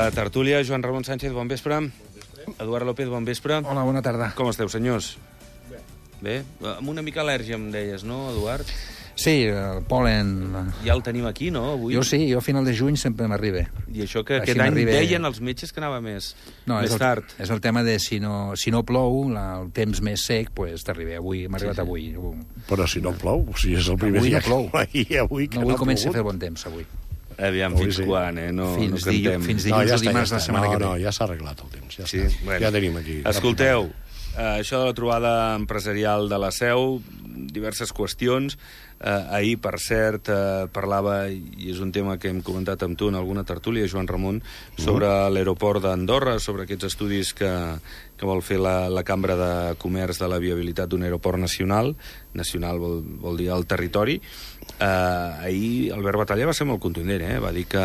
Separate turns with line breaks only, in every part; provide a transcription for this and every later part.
la tertúlia. Joan Ramon Sánchez, bon vespre. Eduard López, bon vespre.
Hola, bona tarda.
Com esteu, senyors? Bé. Amb una mica al·lèrgia, em deies, no, Eduard?
Sí, el pol·len...
Ja el tenim aquí, no, avui?
Jo sí, jo a final de juny sempre m'arriba.
I això que aquest any deien els metges que anava més tard.
És el tema de si no plou, el temps més sec, doncs t'arriba. Avui, m'ha arribat avui.
Però si no plou, o sigui, és el primer dia que plou. Avui
comença a fer bon temps, avui.
Aviam, fins quan, no cantem.
Fins dilluns o dimarts de la setmana que ve.
No, ja s'ha arreglat el temps, ja tenim aquí.
Escolteu, això de la trobada empresarial de la Seu, diverses qüestions. Ahir, per cert, parlava, i és un tema que hem comentat amb tu en alguna tertúlia, Joan Ramon, sobre l'aeroport d'Andorra, sobre aquests estudis que vol fer la Cambra de Comerç de la viabilitat d'un aeroport nacional. Nacional vol dir el territori. Ahir Albert Batalla va ser molt contundent, va dir que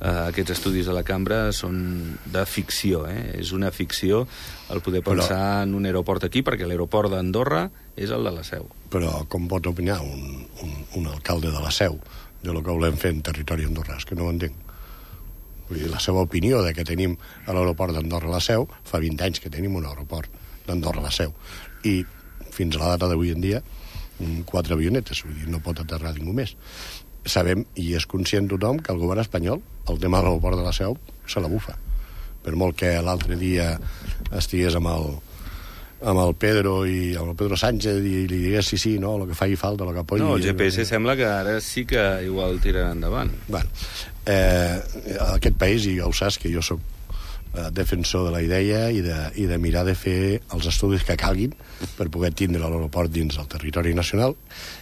aquests estudis de la Cambra són de ficció, és una ficció el poder pensar en un aeroport aquí, perquè l'aeroport d'Andorra és el de la Seu.
Però com pot opinar un alcalde de la Seu de lo que volem fer en territori andorrà? És que no ho entenc. Vull dir, la seva opinió de que tenim a l'aeroport d'Andorra a la Seu, fa 20 anys que tenim un aeroport d'Andorra a la Seu, i fins a la data d'avui en dia 4 avionetes, vull dir, no pot aterrar ningú més. Sabem, i és conscient tothom, que el govern espanyol, el tema de l'aeroport de la Seu, se la bufa. Per molt que l'altre dia estigués amb el Pedro i amb el Pedro Sánchez i li digués sí, no, el que faci falta, el que apoyi...
No, el GPS sembla que ara sí que igual tirarà endavant.
Bueno, aquest país, i ja ho saps, que jo soc defensor de la idea i de mirar de fer els estudis que calguin per poder tindre l'aeroport dins del territori nacional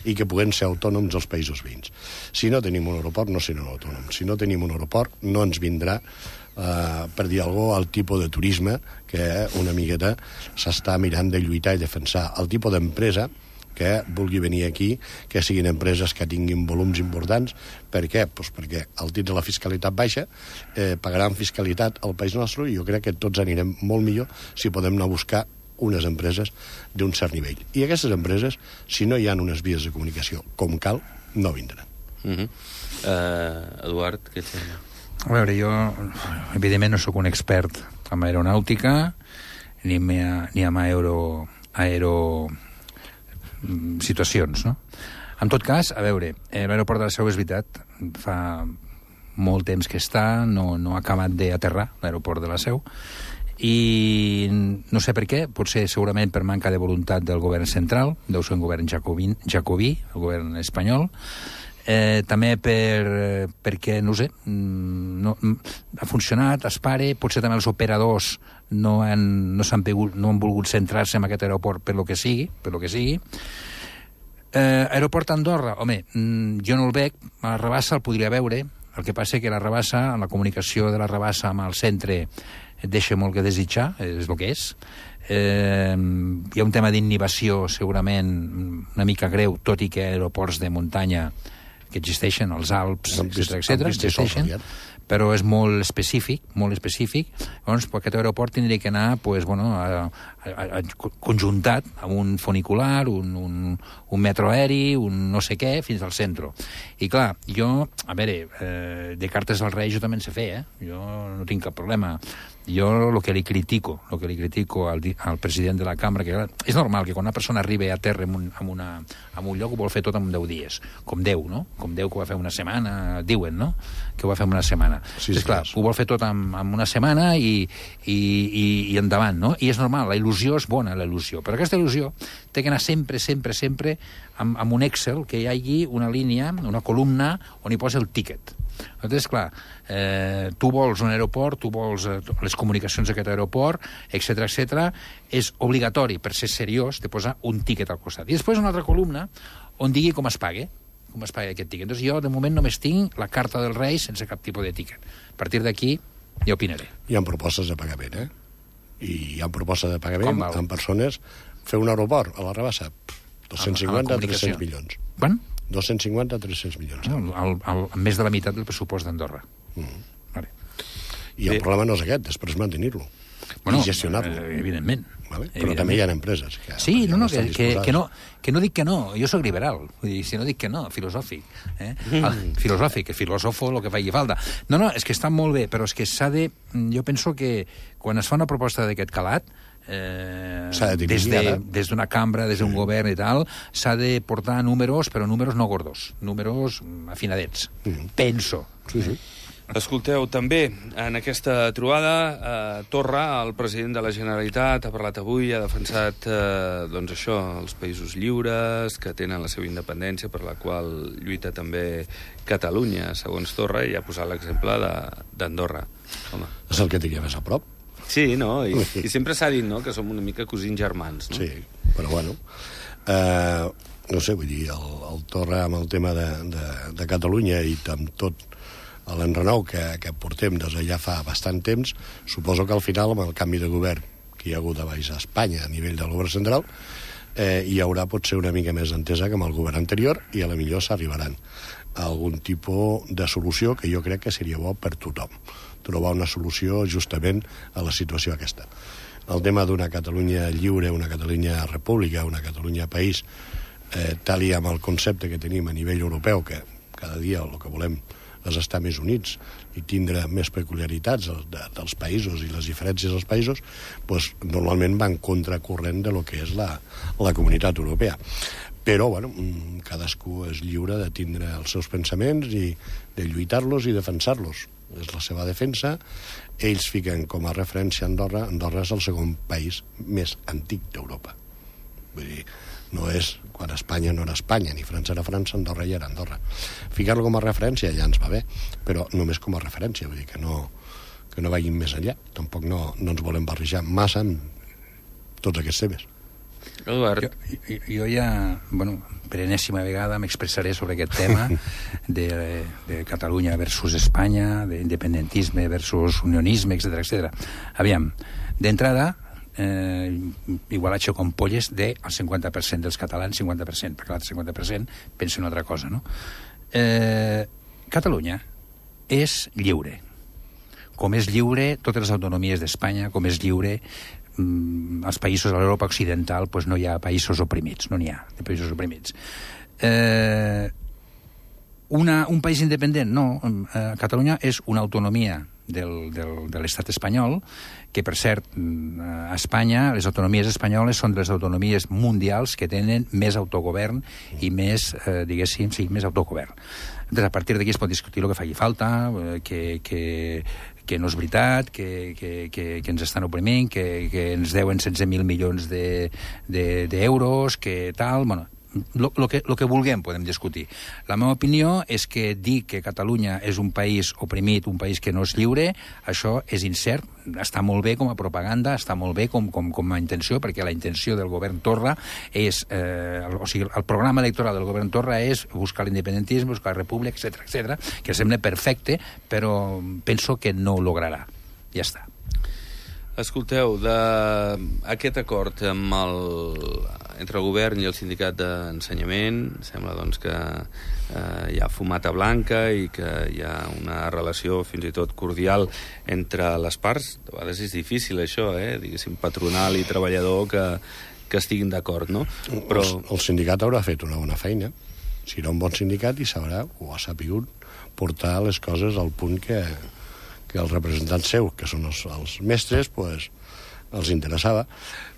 i que puguem ser autònoms als països veïns. Si no tenim un aeroport, no serem autònoms. Si no tenim un aeroport, no ens vindrà, per dir alguna cosa, el tipus de turisme que una miqueta s'està mirant de lluitar i defensar. El tipus d'empresa que vulgui venir aquí, que siguin empreses que tinguin volums importants. Per què? Pues perquè al tindre la fiscalitat baixa, pagaran fiscalitat al país nostre, i jo crec que tots anirem molt millor si podem anar a buscar unes empreses d'un cert nivell. I aquestes empreses, si no hi ha unes vies de comunicació com cal, no vindran.
Eduard, què et sembla?
A veure, jo, evidentment, no sóc un expert en aeronàutica, ni en situacions, no? En tot cas, a veure, l'aeroport de la Seu és veritat, fa molt temps que està, no ha acabat d'aterrar l'aeroport de la Seu, i no sé per què, potser segurament per manca de voluntat del govern central, deu ser un govern jacobí, el govern espanyol, també perquè, no sé, no ha funcionat, es pare, potser també els operadors no han volgut centrar-se en aquest aeroport per lo que sigui. Aeroport d'Andorra, home, jo no el veig, a la Rabassa el podria veure, el que passa que la Rabassa, la comunicació de la Rabassa amb el centre deixa molt que desitjar, és el que és. Hi ha un tema d'innovació segurament una mica greu, tot i que aeroports de muntanya que existeixen, els Alps, etc., existeixen, però és molt específic. Llavors, aquest aeroport tindria que anar conjuntat amb un funicular, un metro aeri, un no sé què, fins al centre. I clar, jo, a veure, de cartes al rei jo també en sé fer, jo no tinc cap problema. Jo el que li critico al president de la cambra, que és normal que quan una persona arriba a terra en un lloc ho vol fer tot en 10 dies, com Déu, no? Com Déu que ho va fer una setmana, diuen, no? Que ho va fer en una setmana. Sí, clar, ho vol fer tot en una setmana i endavant, no? I és normal, la il·lusió és bona, la il·lusió, però aquesta il·lusió té que anar sempre amb un Excel que hi hagi una línia, una columna on hi posa el tíquet. Llavors, clar, tu vols un aeroport, tu vols les comunicacions d'aquest aeroport, etc., és obligatori, per ser seriós, de posar un tíquet al costat. I després una altra columna on digui com es paga aquest tíquet. Doncs jo, de moment, només tinc la carta del rei sense cap tipus de tíquet. A partir d'aquí, ja opinaré.
Hi ha propostes de pagament, I hi ha propostes de pagament amb persones. Fer un aeroport a la Rabassa, 250 a 300 milions.
Quan?
250 a 300 milions.
Més de la meitat del pressupost d'Andorra.
I el problema no és aquest, després mantenir-lo. i gestionar-lo.
Evidentment.
Vale? Però també hi ha empreses que...
Sí, no, que no dic que no. Jo soc liberal. Vull dir, si no dic que no, filosòfic. Filosòfic, filòsofo, el que faci falta. No, és que està molt bé, però és que s'ha de... Jo penso que quan es fa una proposta d'aquest calat, des d'una cambra, des d'un govern i tal, s'ha de portar números, però números no gordos, números afinadets. Penso.
Sí.
Escolteu, també, en aquesta trobada, Torra, el president de la Generalitat, ha parlat avui, ha defensat, doncs això, els països lliures, que tenen la seva independència, per la qual lluita també Catalunya, segons Torra, i ha posat l'exemple d'Andorra. Home.
És el que tinguem més a prop.
Sí, no? I sempre s'ha dit, no?, que som una mica cosins germans, no?
Sí, però bueno... no sé, vull dir, el Torra amb el tema de Catalunya i amb tot l'enrenou que portem des de ja fa bastant temps, suposo que al final, amb el canvi de govern que hi ha hagut a baix a Espanya a nivell del govern central, hi haurà potser una mica més d'entesa que amb el govern anterior i a la millor s'arribaran a algun tipus de solució que jo crec que seria bo per tothom, trobar una solució justament a la situació aquesta. El tema d'una Catalunya lliure, una Catalunya república, una Catalunya país, tal i amb el concepte que tenim a nivell europeu, que cada dia el que volem és estar més units i tindre més peculiaritats dels països i les diferències dels països, doncs normalment van contracorrent de lo que és la comunitat europea. Però, bueno, cadascú és lliure de tindre els seus pensaments i de lluitar-los i defensar-los. És la seva defensa. Ells fiquen com a referència Andorra. Andorra és el segon país més antic d'Europa. Vull dir, no és quan Espanya no era Espanya, ni França era França, Andorra ja era Andorra. Ficar-lo com a referència ja ens va bé, però només com a referència, vull dir que no vagin més enllà. Tampoc no ens volem barrejar massa amb tots aquests temes.
Eduard.
Jo ja, per enèsima vegada m'expressaré sobre aquest tema de Catalunya versus Espanya, d'independentisme versus unionisme, etc. Aviam, d'entrada, igual aixeco amb polles del 50% dels catalans, 50%, perquè l'altre 50% pensa una altra cosa, no? Catalunya és lliure. Com és lliure totes les autonomies d'Espanya, com és lliure als països de l'Europa occidental, doncs no hi ha països oprimits, no n'hi ha de països oprimits. Un país independent? No. Catalunya és una autonomia de l'estat espanyol, que, per cert, a Espanya, les autonomies espanyoles són de les autonomies mundials que tenen més autogovern i més, diguéssim, sí, més autogovern. Entonces, a partir d'aquí es pot discutir el que faci falta, que no és veritat, que ens estan oprimint, que ens deuen 16.000 milions d'euros, que tal... Bueno, lo que vulguem podem discutir. La meva opinió és que dir que Catalunya és un país oprimit, un país que no és lliure, això és incert, està molt bé com a propaganda, està molt bé com a intenció, perquè la intenció del govern Torra és... o sigui, el programa electoral del govern Torra és buscar l'independentisme, buscar la república, etc., que sembla perfecte, però penso que no ho lograrà. Ja està.
Escolteu, d'aquest acord entre el govern i el sindicat d'ensenyament, sembla doncs que hi ha fumata blanca i que hi ha una relació fins i tot cordial entre les parts. De vegades és difícil això, diguéssim, patronal i treballador que estiguin d'acord, no? Però...
El sindicat haurà fet una bona feina. Serà un bon sindicat i sabrà, o ha sapigut, portar les coses al punt que els representants seus, que són els mestres, pues, els interessava.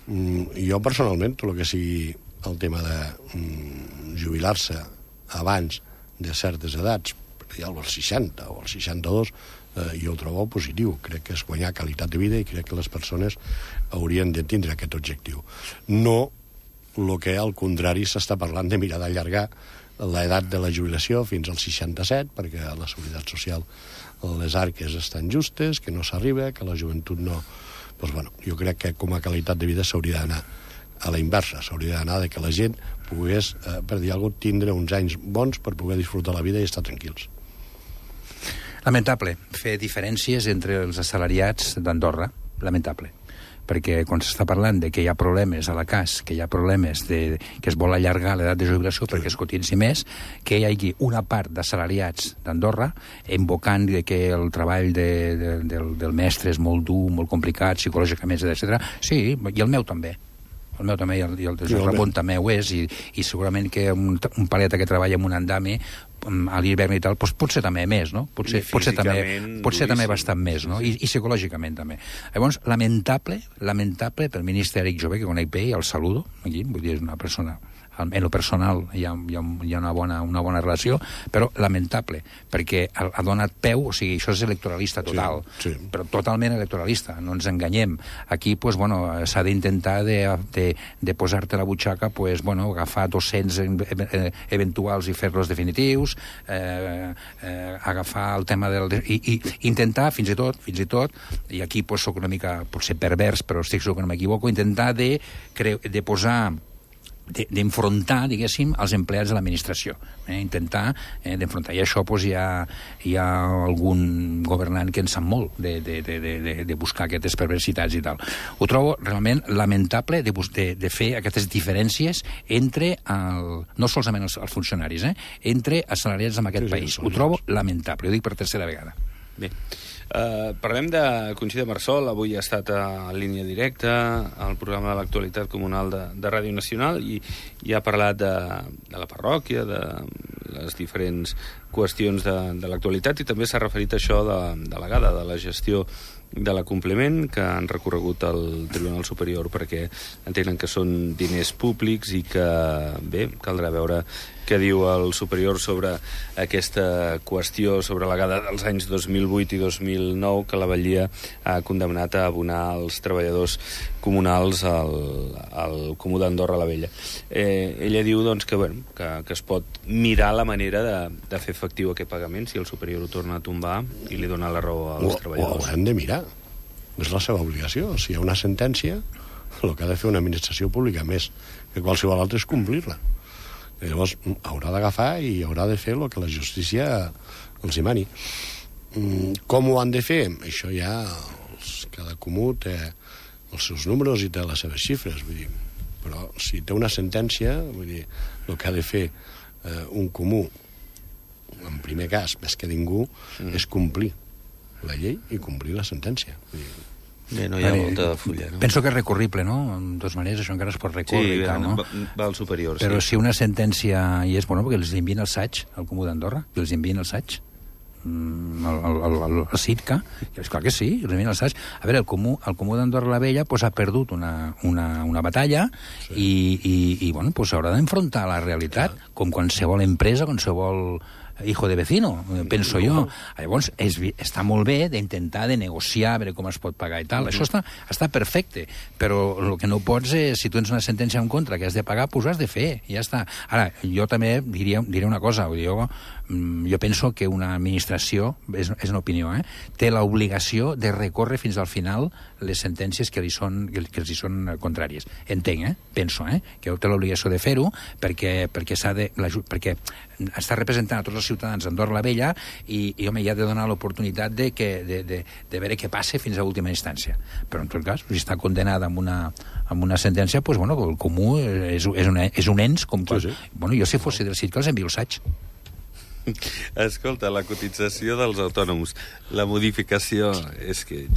Jo, personalment, tot el que sigui el tema de jubilar-se abans de certes edats, ja als 60 o als 62, jo ho trobo positiu. Crec que és guanyar qualitat de vida i crec que les persones haurien de tindre aquest objectiu. No el que, al contrari, s'està parlant de mirar d'allargar l'edat de la jubilació fins als 67, perquè a la Seguretat Social les arques estan justes, que no s'arriba, que la joventut no... Doncs, bueno, jo crec que com a qualitat de vida s'hauria d'anar a la inversa, s'hauria d'anar de que la gent pogués, per dir alguna cosa, tindre uns anys bons per poder disfrutar la vida i estar tranquils.
Lamentable fer diferències entre els assalariats d'Andorra, lamentable. perquè quan s'està parlant de que hi ha problemes a la CAS, que hi ha problemes que es vol allargar l'edat de jubilació perquè es cotitzi més, que hi hagi una part d'assalariats d'Andorra invocant que el treball del mestre és molt dur, molt complicat, psicològicament, etc. Sí, i el meu també. El meu també, i el de Ramon també ho és, i segurament que un paleta que treballa en un andami a l'hivern i tal, doncs potser també més, no? Potser també bastant més, no? I psicològicament també. Llavors, lamentable pel ministre Eric Jové, que conec bé, i el saludo, aquí, vull dir, és una persona... En lo personal hi ha una bona relació, però lamentable, perquè ha donat peu, o sigui, això és electoralista total, però totalment electoralista, no ens enganyem. Aquí, pues, bueno, s'ha d'intentar de posar-te a la butxaca, pues, bueno, agafar 200 eventuals i fer-los definitius, agafar el tema i intentar, fins i tot, i aquí pues, soc una mica, potser pervers, però estic segur que no m'equivoco, intentar de posar d'enfrontar, diguéssim, els empleats de l'administració. Intentar d'enfrontar. I això doncs, hi ha algun governant que en sap molt de buscar aquestes perversitats i tal. Ho trobo realment lamentable de fer aquestes diferències entre, no solament els funcionaris, entre assalariats en aquest país. Ho trobo lamentable. Ho dic per tercera vegada.
Bé. Parlem de Conxita Marsol. Avui ha estat a línia directa al programa de l'actualitat comunal de Ràdio Nacional i ha parlat de la parròquia, de les diferents qüestions de l'actualitat, i també s'ha referit a això de la gestió de l'acompliment que han recorregut al Tribunal Superior perquè entenen que són diners públics i que, bé, caldrà veure què diu el superior sobre aquesta qüestió, sobre la gada dels anys 2008 i 2009 que la Batllia ha condemnat a abonar als treballadors comunals al Comú d'Andorra la Vella. Ella diu doncs, que es pot mirar la manera de fer efectiu aquest pagament si el superior ho torna a tombar i li dona la raó als treballadors.
Ho haurem de mirar. És la seva obligació. Si hi ha una sentència, el que ha de fer una administració pública més que qualsevol altra és complir-la. I llavors haurà d'agafar i haurà de fer el que la justícia els hi mani. Com ho han de fer? Això ja cada comú té els seus números i té les seves xifres, vull dir. Però si té una sentència, vull dir, el que ha de fer un comú, en primer cas, més que ningú, és complir la llei i complir la sentència.
Bé, no hi ha molta fulla, no?
Penso que és recurrible, no? En dues maneres, això encara es pot recórrer i tal, no?
Va al superior,
però si una sentència hi és, bueno, perquè els envien el SAIG al Comú d'Andorra, que els envien el SAIG, el CITCA, és clar que sí, els envien el SAIG. A veure, el Comú d'Andorra la Vella ha perdut una batalla i bueno, s'haurà d'enfrontar a la realitat, com qualsevol empresa, qualsevol hijo de vecino, penso jo. Llavors, està molt bé d'intentar de negociar, veure com es pot pagar i tal. Això està perfecte, però el que no pots és, si tu tens una sentència en contra que has de pagar, doncs ho has de fer, i ja està. Ara, jo també diré una cosa, jo penso que una administració, és una opinió, té l'obligació de recórrer fins al final les sentències que els hi són contràries. Entenc, penso, que té l'obligació de fer-ho perquè està representant a tots els ciutadans d'Andorra la Vella i home, ja ha de donar l'oportunitat de veure què passa fins a última instància. Però en tot cas, si està condenada amb una sentència, doncs, bueno, el comú és un ens, com quan... Sí. Bueno, jo si fos del CIT que els envio el SAIG.
Escolta, la cotització dels autònoms, la modificació és que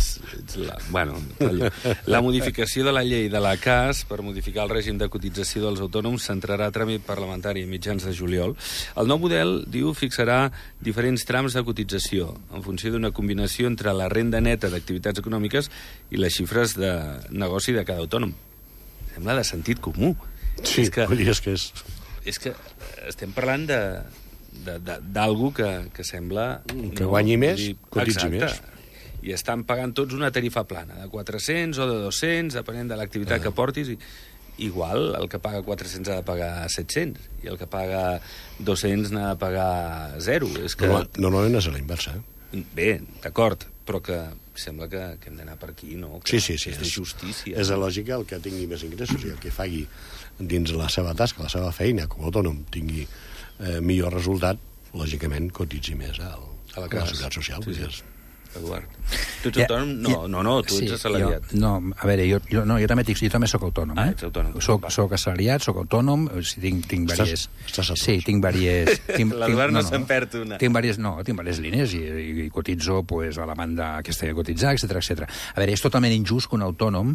la modificació de la llei de la CAS per modificar el règim de cotització dels autònoms s'entrarà a tràmit parlamentari a mitjans de juliol. El nou model, diu, fixarà diferents trams de cotització en funció d'una combinació entre la renda neta d'activitats econòmiques i les xifres de negoci de cada autònom. Sembla de sentit comú.
Sí, és que
estem parlant d'algú que sembla...
Que guanyi més, cotitzi més.
I estan pagant tots una tarifa plana, de 400 o de 200, depenent de l'activitat que portis. Igual, el que paga 400 ha de pagar 700, i el que paga 200 n'ha de pagar 0. És que...
Normalment és a la inversa,
Bé, d'acord, però que sembla que hem d'anar per aquí, no?
Sí.
És de justícia.
És lògica el que tingui més ingressos i el que faci dins la seva tasca, la seva feina, com a autònom, tingui millor resultat, lògicament cotitzi més a la Seguretat Social. Sí.
Eduard. Tu ets autònom? No, tu ets assalariat.
A veure, jo també soc autònom.
Ets autònom.
Soc assalariat, soc autònom, tinc vàries...
Sí,
tinc vàries...
L'Eduard no se'n perd una.
Tinc vàries línies i cotitzo a la banda aquesta que cotitzar, etc. A veure, és totalment injust que un autònom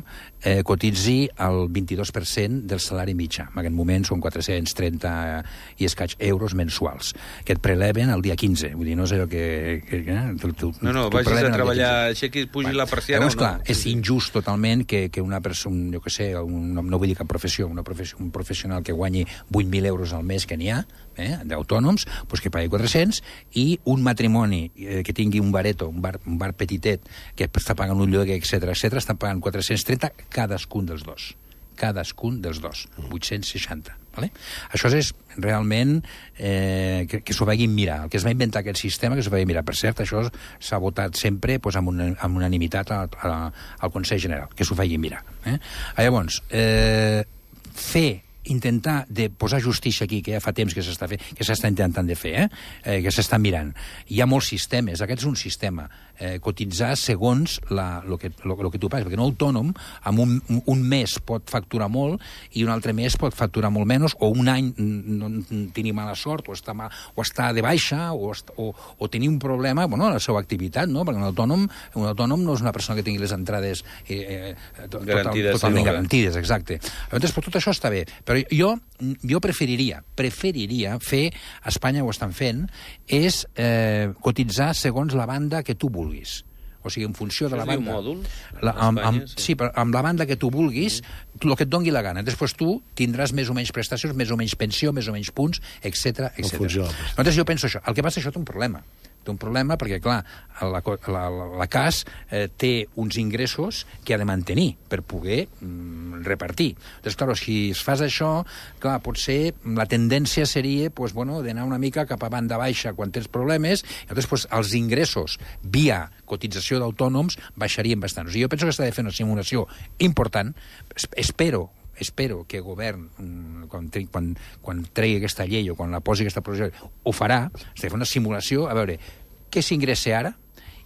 cotitzi el 22% del salari mitjà. En aquest moment són 430 i escaig euros mensuals, que et preleven el dia 15. Vull dir, no és allò que
No, vagis a treballar, aixequis, pugi la persiana o no.
Clar, és injust totalment que una persona, jo què sé, no vull dir cap professió, un professional que guanyi 8.000 euros al mes que n'hi ha, d'autònoms, doncs que pagui 400, i un matrimoni que tingui un bareto, un bar petitet, que està pagant un lloguer, etc, estan pagant 430 cadascun dels dos. 860. Vale? Això és realment que s'ho vagin mirar. El que es va inventar aquest sistema, que s'ho vagin mirar. Per cert, això s'ha votat sempre amb unanimitat al Consell General, que s'ho vagin mirar. Llavors, intentar de posar justícia aquí, que ja fa temps que s'està intentant de fer, que s'està mirant. Hi ha molts sistemes, aquest és un sistema, cotitzar segons el que tu pagues, perquè un autònom en un mes pot facturar molt i un altre mes pot facturar molt menys, o un any no tenir mala sort, o està de baixa, o tenir un problema en la seva activitat, no? Perquè un autònom no és una persona que tingui les entrades totalment garantides, exacte. Llavors, tot això està bé, però jo preferiria fer, a Espanya ho estan fent, és cotitzar segons la banda que tu vulguis. O sigui, en funció de la banda...
Això és un mòdul?
Sí, però amb la banda que tu vulguis, el que et doni la gana. Després tu tindràs més o menys prestacions, més o menys pensió, més o menys punts, etc. Llavors jo penso això. El que passa és que això té un problema. Té un problema perquè, clar, la CAS té uns ingressos que ha de mantenir per poder repartir. Doncs, clar, si es fas això, clar, potser la tendència seria d'anar una mica cap a banda baixa quan tens problemes, i llavors els ingressos via cotització d'autònoms baixarien bastant. O sigui, jo penso que s'ha de fer una simulació important. Espero que el govern, quan tregui aquesta llei o quan la posi aquesta proposició, ho farà, s'ha de fer una simulació, a veure què s'ingressa ara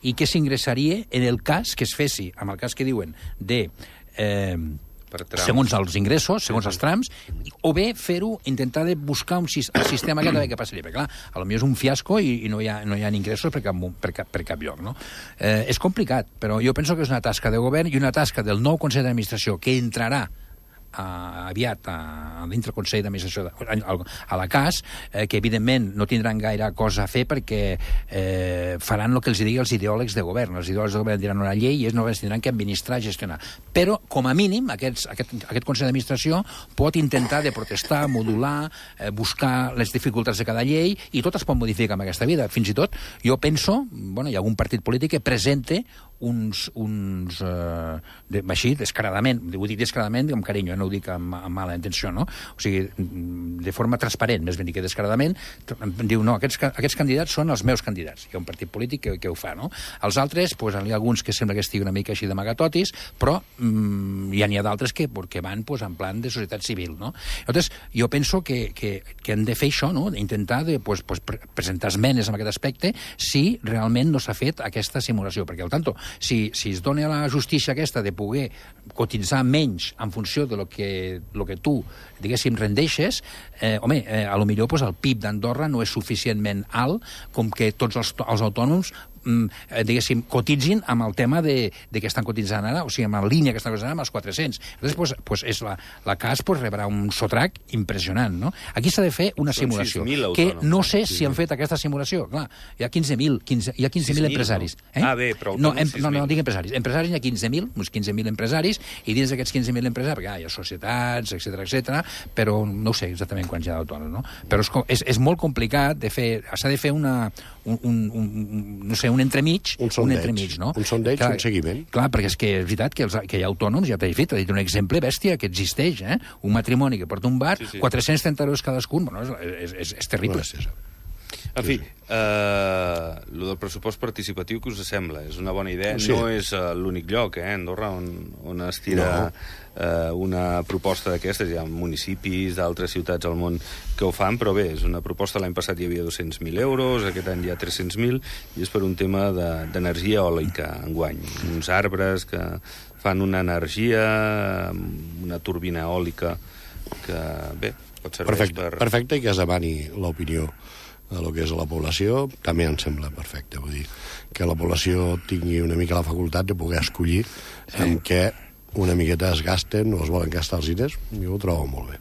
i què s'ingressaria en el cas que es fessi, amb el cas que diuen de... segons els ingressos, segons els trams, o bé fer-ho, intentar de buscar el sistema que passaria. Perquè, clar, potser és un fiasco i no hi ha ingressos per cap lloc, no? És complicat, però jo penso que és una tasca de govern i una tasca del nou Consell d'Administració que entrarà aviat dintre el Consell d'Administració a la CAS, que evidentment no tindran gaire cosa a fer perquè faran el que els digui els ideòlegs de govern. Els ideòlegs de govern diran una llei i ells només tindran que administrar i gestionar. Però, com a mínim, aquest Consell d'Administració pot intentar de protestar, modular, buscar les dificultats de cada llei, i tot es pot modificar en aquesta vida. Fins i tot, jo penso, hi ha algun partit polític que presente així, descaradament, vull dir descaradament amb carinyo, no ho dic amb mala intenció, no? O sigui, de forma transparent, més ben dit que descaradament, diu, no, aquests candidats són els meus candidats. Hi ha un partit polític que ho fa, no? Els altres, hi ha alguns que sembla que estigui una mica així d'amagatotis, però ja n'hi ha d'altres que van en plan de societat civil, no? Llavors, jo penso que hem de fer això, no? D'intentar presentar esmenes en aquest aspecte si realment no s'ha fet aquesta simulació, perquè al tanto, si es dona a la justícia aquesta de poder cotitzar menys en funció de lo que tu, diguéssim, rendeixes, a lo millor el PIB d'Andorra no és suficientment alt com que tots els autònoms diguéssim, cotitzin amb el tema de que estan cotitzant ara, o sigui, amb la línia que estan cotitzant amb els 400. Llavors, la CAS rebrà un sotrac impressionant, no? Aquí s'ha de fer una simulació, que no sé si han fet aquesta simulació. Clar, hi ha 15.000 empresaris.
Bé, però
no dic empresaris. Empresaris hi ha 15.000, uns 15.000 empresaris, i dins d'aquests 15.000 empresaris, perquè hi ha societats, etc, però no sé exactament quants hi ha d'autònoms, no? Però és molt complicat de fer, s'ha de fer un entremig, no?
Un sondeig, un seguiment.
Clar, perquè és que és veritat que hi ha autònoms, ja t'he dit un exemple bèstia que existeix, un matrimoni que porta un bar, 430 euros cadascun, és terrible.
En fi, el del pressupost participatiu, que us sembla? És una bona idea? Sí. No és l'únic lloc, Andorra, on es tira una proposta d'aquestes. Hi ha municipis d'altres ciutats al món que ho fan, però bé, és una proposta. L'any passat hi havia 200.000 euros, aquest any hi ha 300.000, i és per un tema d'energia eòlica, enguany. Uns arbres que fan una energia, una turbina eòlica, que, bé, pot servir per...
Perfecte, i que es demani l'opinió a lo que és la població, també em sembla perfecte. Vull dir, que la població tingui una mica la facultat de poder escollir en què una miqueta es gasten o es volen gastar els diners. Jo ho trobo molt bé.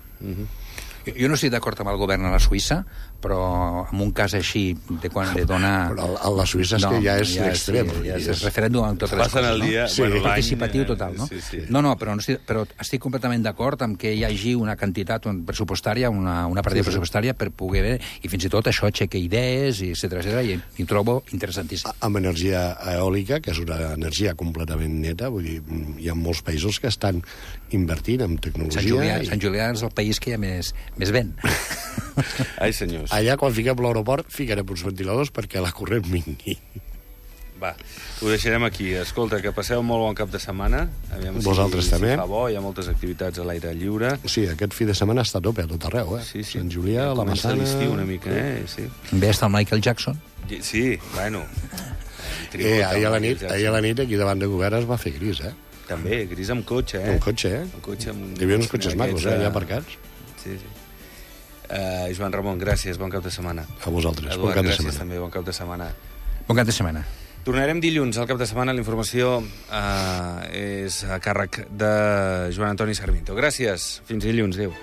Jo no estic d'acord amb el govern a la Suïssa, però en un cas així de donar...
Però a la Suïssa és que ja és l'extrem.
Ja és referèndum amb totes les coses,
el dia,
no? Sí. Participatiu total, no?
Sí.
No, però estic completament d'acord amb que hi hagi una quantitat pressupostària, una partida pressupostària per poder ver, i fins i tot això aixeca idees, etcètera, i ho trobo interessantíssim.
Amb energia eòlica, que és una energia completament neta, vull dir, hi ha molts països que estan invertint en tecnologia.
Sant Julià és el país que hi ha més vent.
Ai, senyors.
Allà, quan fiquem l'aeroport, ficarem uns ventiladors perquè la corrent vingui.
Va, ho deixarem aquí. Escolta, que passeu molt bon cap de setmana. Aviam
Vosaltres també.
Si fa bo, hi ha moltes activitats a l'aire lliure.
Sí, aquest fi de setmana està a tope a tot arreu,
Sí.
Sant Julià, la Massana...
Comença l'estiu una mica, Sí.
Ve està el Michael Jackson.
Sí, bueno.
Ahir a la nit, aquí davant de govern es va fer gris,
També, gris amb cotxe,
Amb cotxe,
Amb cotxe,
Hi havia uns cotxes macos, allà aparcats.
Sí. Joan Ramon, gràcies, bon cap de setmana.
A vosaltres,
Eduard, gràcies també, bon cap de setmana.
Bon cap de setmana.
Tornarem dilluns al cap de setmana. La informació és a càrrec de Joan Antoni Sarmiento. Gràcies, fins dilluns, adéu.